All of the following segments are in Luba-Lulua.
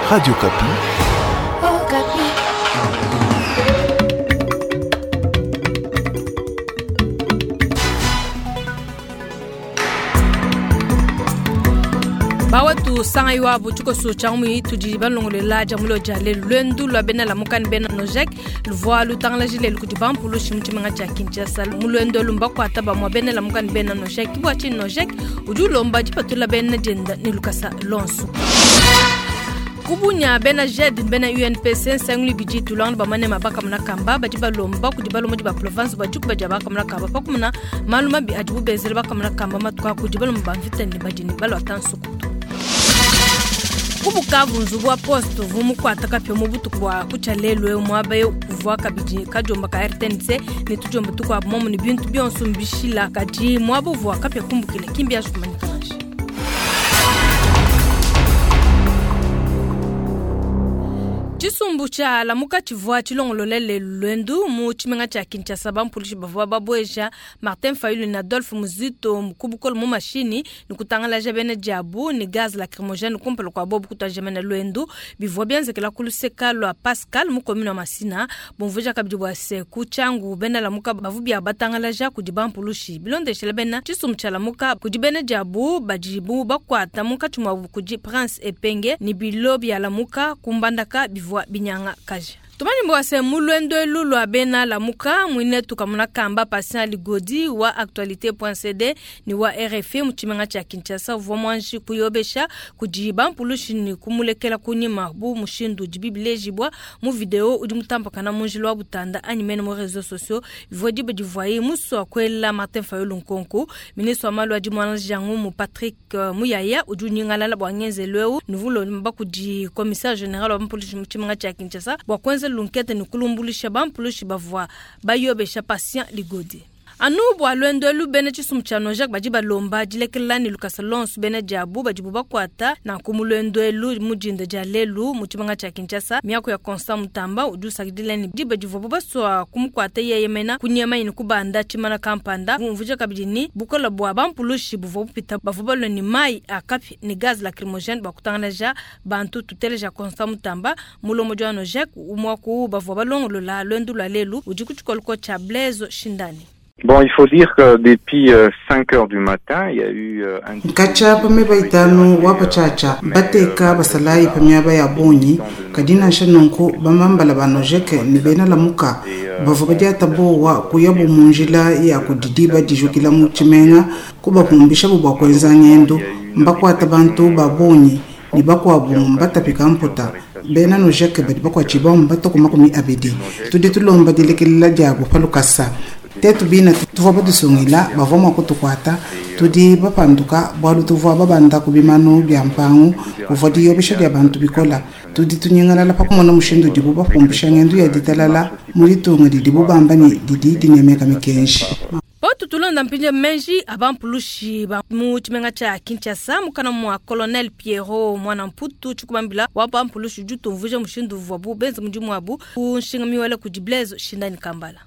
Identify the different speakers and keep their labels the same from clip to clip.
Speaker 1: Radio Okapi.
Speaker 2: Okapi.
Speaker 3: Bawetu sanga iwabu tshikoso tshia ngumu tudi balongolola dia mulo dia lelu. Luendu lua bena Lamuka ne bena Nojek luvua lutangalaji lelu kudi bampulushi mu tshimenga tshia Kinshasa. Mu luendu elu mbakuata bamue bena Lamuka ne bena Nojek. Bua tshinyi Nojek udi ulomba dipatula bena dienda ne lukasa luonso? Kubunya bena JED ne bena UNPC nsangilu ibidi tulanga bamane mabaka kamba badi balomba kudi balombodi ba province bua dikuba dia bakamuna kamba pa kumona malu mabi adibu benzela bakamuna kamba matuku a kudi balomba ba mvita ne badi ne baluata nsukutu. Ku Bukavu, nzubu wa poste uvua mukuata kapia mu butuku bua kutshia lelu eu muaba eu uvua kabidi kadiomba ka RTNC ne tudiomba tukuabu momu ne bintu bionso mbishila, kadi muaba uvua kapia kumbukila ki mbianji kumanyika nansha. Tshisumbu tshia Lamuka tshivua tshilongolole lelu luendu mu tshimenga tshia Kinshasa. Bampulushi bavua babueja Martin Fayulu ne Adolphe Muzito ku bukole mu mashinyi ne kutangalaja bena diabu ne gaz lacrymogène kumpala kua bobu kutuadija mena luendu. Bivua bienzekela ku luseka lua Pascal mu commune wa Masina. Bumvuija kabidi bua se ku Tshangu bena Lamuka bavua bia batangalaja kudi bampulushi. Bilondeshela bena tshisumbu tshia Lamuka kudi bena diabu badibu bakuata munkatshi muabu kudi Prince Epenge ne bilo bia Lamuka ku Mbandaka bivua binyanga kaja. Tumanye bua se mu luendu elu lua bena Lamuka muinetu kamuna kamba Patient Ligodi wa actualite point C D ne wa RFI mu tshimenga tshia Kinshasa uvua muanji kuyobesha kudi bampulushi ne kumulekela kunyima bu mushindu udi bibilejibua mu video udi mutambakana mu njila wa Butanda anyi mene mu réseaux sociaux. Bivua diba divuaye musua kuela Martin Fayulu nkonko. Ministre wa malu adi muana Jangu Patrick Muyaya udi unyingalala bua ngenzelu eu nuvulomba kudi commissaire général wa bampulushi mu tshimenga tshia Kinshasa bua kuenza lunkete ne kulumbulusha bampulushi bavua bayobesha Patient Ligodi. Anu bua luendu elu bena tshisumbu tshia Nojek badi balomba dilekelela ne lukasa lonso bena diabu badibu bakuata nanku mu luendu elu mu dinda dia lelu mu tshimenga tshia Kinshasa. Miaku ya Constant Mutamba udi usakidila ne diba divuabu basua kumukuata yeye mena kunyema ne kubanda tshimana kampanda. Bumvuija kabidi ni bukola bua bampulushi buvua bupita bavua balua ne mayi a kapi ne gaz lacrymogène bua kutangalaja bantu. Tuteleja Constant Mutamba mulombodi wa Nojek umwaku bavua balongolola luendu lua lelu udi ku tshikoloko tshia Blaise Shindani.
Speaker 4: Bon, il faut dire que depuis 5 heures du matin, il y a eu un
Speaker 5: Nkacha pa meba itanu wa pachacha, bateka basalayi pa miaba ya bonyi, kadina shanunku bamambala ba Nojek ne bena Lamuka bavua badiata bowa kuyabu mu njila ya kudidiba dijukila mu tshimenga kubapumbisha bua kuenza ngendo mbakuata bantu ba bonyi ne bakuabu mbatapika mputa. Bena Nojek badi bakuatshibua mbatoko makumi abidi. Tudi tulomba dilekelela diabu pa lukasa. Tetu bina tuvua batusungila bavua mua kutukuata, tudi bapanduka bualu tuvua babanda ku bimanu bia mpangu kuvua diyobesha dia bantu bikola. Tudi tunyingalala pa kumona mushindu udibu bapumbisha ngendo ya ditalala mu ditunga didibu bamba ne didi dinemeka mikenji.
Speaker 3: Potu tulonda mpinje menji abampulushi ba mu tshimenga tshia Kinshasa mukana mua Colonel Pierrot Mwana Mputu tshikubambila wa bampulushi udi utumvuija mushindu uvuabu benza mudimu wabu ku nshinga miwele kudi Blaise Shindani Kambala.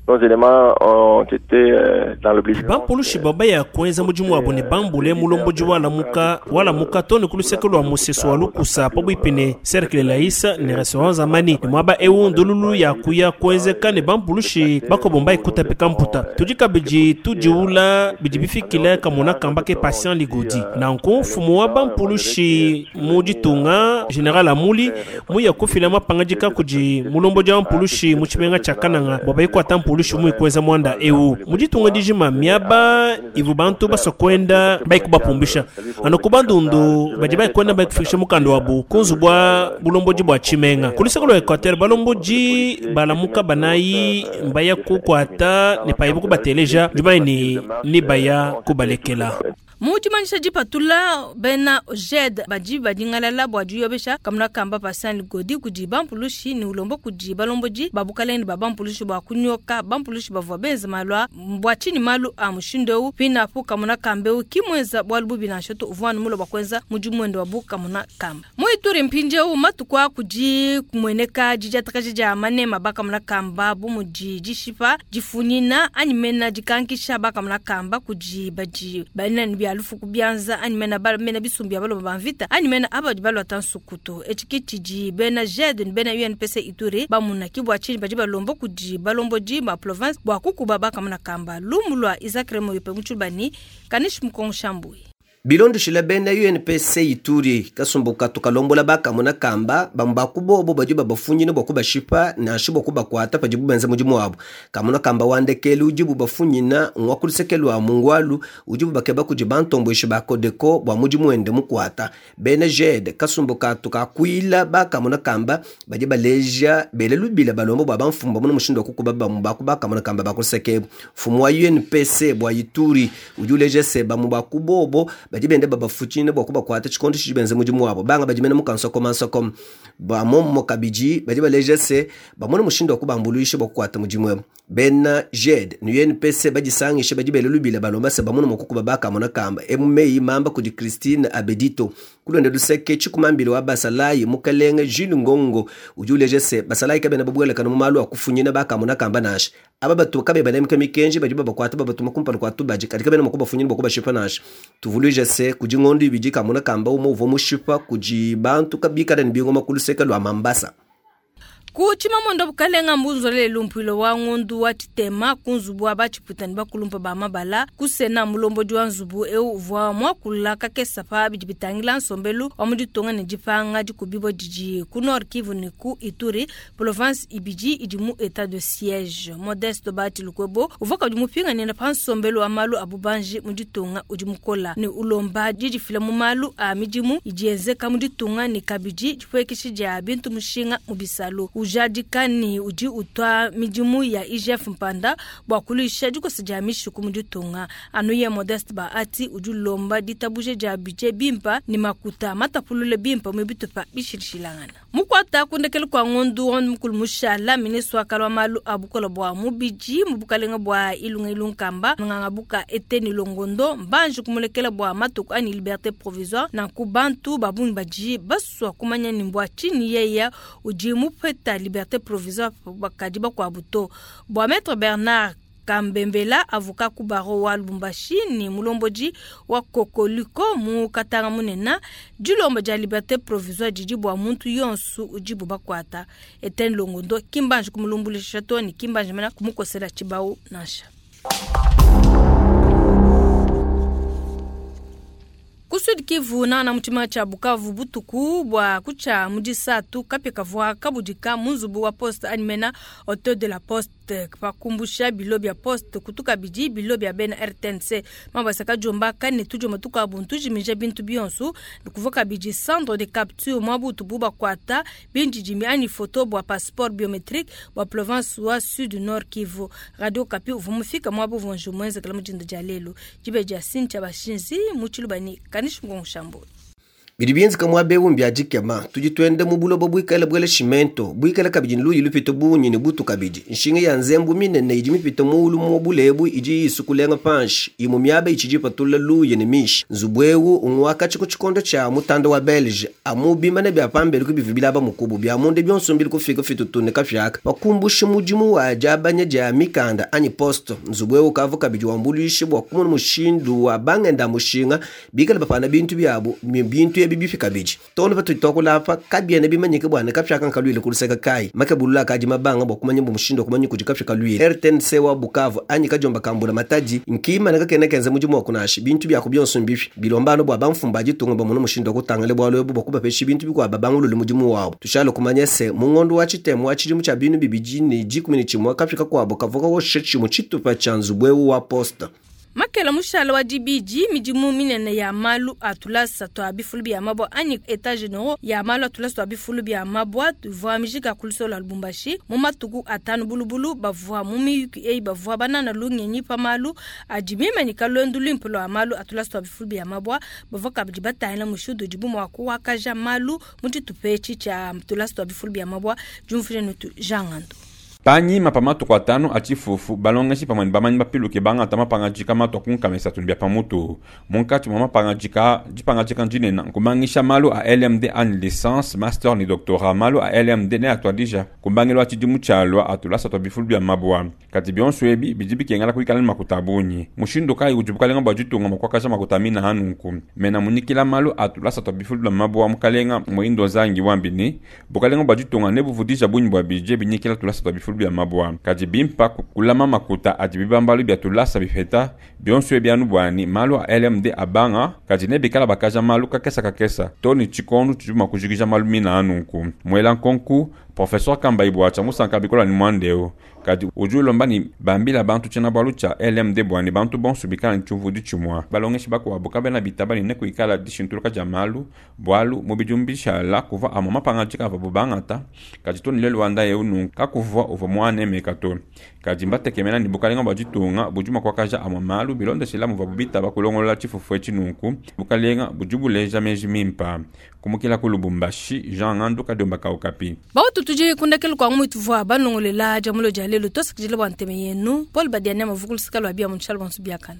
Speaker 6: Nos éléments ont été dans l'obligation.
Speaker 7: Bampulushi baba ya kuenza mudimu wabo ne bambule mulomboji wa Lamuka, wa Lamuka tone ku luseke lua musesu wa Lukusa pabuipi ne Cercle Laïsa ne restaurant Zamani. Ne muaba eu ndululu ya kuya kuenzeka ne bampulushi bakobomba ikutapika mputa. Tudi kabidi tudiula bidi bifikile kamona kamba ke Patient Ligodi. Nanku mfumu wa bampulushi mu ditunga General Amuli muya kufila mapangadika kudi mulomboji wa mpulushi mu tshimenga tshia Kananga bua bayikwata mpulushi mu ikweza mwanda eu. Mu ditunga dijima miaba ivu bantu basokwenda bayikubapumbisha. Anu ku bandundu badi bayikwenda bayikufikisha mukanda wabu ku nzubu bua bulomboji bua tshimenga. Ku luseke lua Equateur balomboji balamuka banayi mbaya kukwata ne payibu kubateleja dibayi ne ni baya kubalekela.
Speaker 3: Mu dimanyisha dipatula bena JED badi badingalala bua diyobesha kamuna kamba Patient Ligodi kudi bampulushi ne ulomba kudi balomboji ba bukalenge ba bampulushi bua kunyoka bampulushi bavua benza malu a bua tshinyi malu a mushindu eu pinapu kamuna kamba eu ki muenza bualu bubi nansha to uvua anu muloba kuenza mudimu wende wa bu kamuna kamba. Mu Ituri mpindieu matuku a kudi kumueneka didiatakaja dia manema ba kamuna kamba bu mudi dishipa difunyina anyi mena dikankisha ba kamuna kamba kudi badi bena ne bia bia lufu ku bianza anyi mena bena bisumbu bia balomba ba mvita anyi mena aba badi baluata nsukutu. Etshi ke tshidi bena JED ne bena UNPC Ituri bamuna ke bua tshinyi badi balomba kudi balombodi ba province bua kukuba bakamona kamba. Lumu lua Isaac Remoyope mu Tshilubani, Kanishi Mukongo Shambui.
Speaker 1: Bilondeshile bena UNPC Ituri, kasumbu katu kalombola bakamona kamba bamue ba ku bobo badi babafunyina bua kubashipa nansha bua kubakuata padibu benza mudimu wabu. Kamona kamba wa ndekelu udibu bafunyina ngua ku luseke lua Mungwalu udibu bakeba kudi bantombueshi ba Codeco bua mudimu wende mukuata. Bena JED, kasumbu katu kakuila bakamona kamba badi baleja bela lubila balomba bua bamfumu bamone mushindu wa kukuba bamue ba ku bakamona kamba ba ku luseke ebu. Mfumu wa UNPC bua Ituri udi uleja se, bamue ba ku bobo badi benda babafutshina bua kubakuata tshikondo tshidi benza mudimu wabo. Banga badi mene mu kansokomansokoma. Ba mommo kabidi badi baleja se, bamone mushindu wa kubambuluisha bua kukuata mudimu ebu. Bena JED ne UNPC badisangishe badi bela lubila balomba se bamone mua kukuba bakamona kamba. Emu meyi mamba kudi Christine Abedito. Ku luende luseke, tshikumambila wa basalayi Mukelenge Jules Ngongo udi uleja se basalayi kabena babuelakana mu malu a kufunyina bakamona kamba nansha. Aba batu kabayi banemeka mikenji badi babakuata babatuma kumpala kua tubadi, kadi kabena mua kubafunyina bua kubashipa nansha. Tuvuluije se, kudi ngondo ibidi kamona kamba umue uvua mushipa kudi bantu bikale ne bingoma ku luseke lua Mambasa.
Speaker 3: Ku Tshimamuenda Bukalenga mbunzula lelu mpuilu wa ngondu wa tshitema ku nzubu wa batshipuita ne bakulumpa ba mabala ku Sena. Mulombodi wa nzubu eu uvua muakula kakesa pa bidi bitangila nsombelu wa mu ditunga ne dipanga dikubibua didi ku Nord Kivu ne ku Ituri, province ibidi idi mu etat de siege. Modeste Bahati Lukwebo uvua kabidi mupinganina pa nsombelu wa malu a bubanji mu ditunga udi mukola ne ulomba didifila mu malu a midimu idi yenzeka mu ditunga ne kabidi dipuekesha dia bintu mushinga mu bisalu. Ujadika ne udi utua midimu ya IGF mpanda bua kuluisha dikosa dia mishiku mu ditunga. Anu ye Modeste Bahati udi ulomba ditabuja dia budget bimpa ne makuta matapulule bimpa mu bitupa bishilashilangana. Mukuata ku ndekelu kua ngondu wa mukulu mushala, ministre wa kala wa malu a bukola bua mubidi mu bukalenga bua Ilunga Ilunkamba Ngangabuka Eteni Longondo mbanji kumulekela bua matuku anyi liberté provisoire. Nanku bantu ba bungi badi basua kumanya ni mbua tshinyi yeya udi mupeta liberté provisoire bakadi bakuabu to. Bua Maître Bernard Kambembela, avocat ku barreau wa Lubumbashi ne mulombodi wa Kokoliko mu Katanga munena, dilomba dia liberté provisoire didi bua muntu yonso udibu bakuata. Etienne Longondo kimbanji kumulumbulisha to ne kimbanji mena kumukosela tshibau nansha. Ku Sud Kivu nana mu tshimenga tshia Bukavu butuku bua kutshia mu disatu kapia kavua kabudika mu nzubu wa poste anyi mena hotel de la poste pa kumbusha bilo bia poste kutu kabidi bilo bia bena RTNC mabasa kajomba kane tujoma tukabu ntujimija bintu bionso kuvua kabidi centre de capture mwa butu bu bakuata bindidimi anyi photo bua passeport biometrique bua province wa Sud Nord Kivu. Radio Okapi uvua mufika mwa buvua njumu mwenzekela mu dinda dia lelu dibe dia Cynthia Bashinzi mu Tshilubani Kanishi Ngongo Shambo.
Speaker 1: Bidi bienzeka muaba eu mbia dikema. Tudi tuenda mu buloba buikale buele cimento, buikale kabidi ne luyi lupite bungi ne butu kabidi. Nshinga ya nzembu minene idi mipite muulu mu bulebu idi isukulenga panshi, imue miaba itshidi ipatula luyi ne mishi. Nzubu eu ngwakatshi ku tshikondo tshia mutanda wa Belge, amu bimane bia pambelu ke bivua bilaba mukubu, bia munda bionso mbili kufika fitutu ne kafiaka. Pakumbusha mudimu wa diabanya dia mikanda anyi poste, nzubu eu ukavua kabidi wambuluisha bua kumona mushindu wa bangenda mushinga bikale bapana bintu biabu, bintu ebi bifi kabidi. Too ne patudi tuakula apa, kabiena bimanyike bua ne kapia aka nkaluile ku luseke kayi. Makebulula akadi mabanga bua kumanya bu mushindu wa kumanya kudi kapia kaluile. RTNC wa Bukavu anyi kadiomba ka Mbula Matadi nkimane kakena kenza mudimu wa kunashi bintu biaku bionso mbifi. Bilomba anu bua bamfumu ba ditunga bamone mushindu wa kutangila bualu ebu bua kubapesha bintu bikuabu babangulule mudimu wabu. Tushale kumanya se, mu ngondo wa tshitema wa tshidimu tshia binu bibidi ne dikumi ne tshimue, kapia kakuabu kavua kawosha tshimue tshitupa tshia nzubu eu wa poste.
Speaker 3: Makela mushala wa dibidi midimu minene ya malu a tulasa twa bifulu bia mabwa anyi état généraux ya malu a tulasa twa bifulu bia mabwa tuvua mijika ku lusolo lwa Lubumbashi mu matuku atanu bulubulu bavua mu miyuki eyi bavua banana lungenyi pa malu adi mimanyika lwendu luimpe lwa malu a tulasa twa bifulu bia mabwa bavua kabidi batangila mushindu udibu mua kuakaja malu mu tshitupa etshi tshia tulasa twa bifulu bia mabwa diumvuija netu Jean Ngando.
Speaker 8: Panyima pa matuku atanu a tshifufu, balongeshi pamue ne bamanyi bapiluke bangata mapangadika matua ku nkama isatu ne bia pa mutu. Munkatshi mua mapangadika, dipangadika dinene nkubangisha malu a LMD anyi licence, master ne doctorat. Malu a LMD neatuadija ku mbangilu wa tshidimu tshialua a tulasa tua bifulu bia mabua. Kadi bionso ebi bidi bikengela kuikala ne makuta a bungi. Mushindu kayi udi bukalenga bua ditunga mua kuakaja makuta mina a nunku? Mena munyikila malu a tulasa tua bifulu bia mabua, mukalenga Muhindo Nzangi wambi ne, bukalenga bua ditunga nebuvudija bungi bua bidie binyikila tulasa tua bifulu bia mabua. Kadi bimpa kulama makuta adi bibambalu bia tulasa bipeta, bionso ebi anu buani malu a LMD abanga, kadi nebikala bakaja malu kakesa kakesa to ne tshikondo tshidi mua kujikija malu mina a nunku. Muela nkonku, Professeur Kambayi Bwacha musanka bikola ne muanda eu. Kadi udi ulomba ne bambila bantu tshiena-bualu tshia LMD bua ne bantu bonso bikala ne tshiumvudi tshimua. Balongeshi bakuabu kabena bitaba ne nekuikala dishintuluka dia malu, bualu mu bidimu bishala kuvua amue mapangadika avuabu bangata, kadi to ne lelu wa ndaya eu nunku kakuvua uvua muanemeka to. Kadi mbatekemena ne bukalenga bua ditunga budi mua kuakaja amue malu bilondeshila muvuabu bitaba kulongolola tshifufu etshi nunku bukalenga budi buleja meji mimpa. Kumukila ku Lubumbashi, Jean Ngandu Kadiomba ka Okapi.
Speaker 3: Bautu tudi kundekelu kua ngumu ituvua banongolela dia mulo dia lelu tosakidila bua ntema yenu. Paul Badiania mavu ku luseka lua bia mu nshala bonso biakana.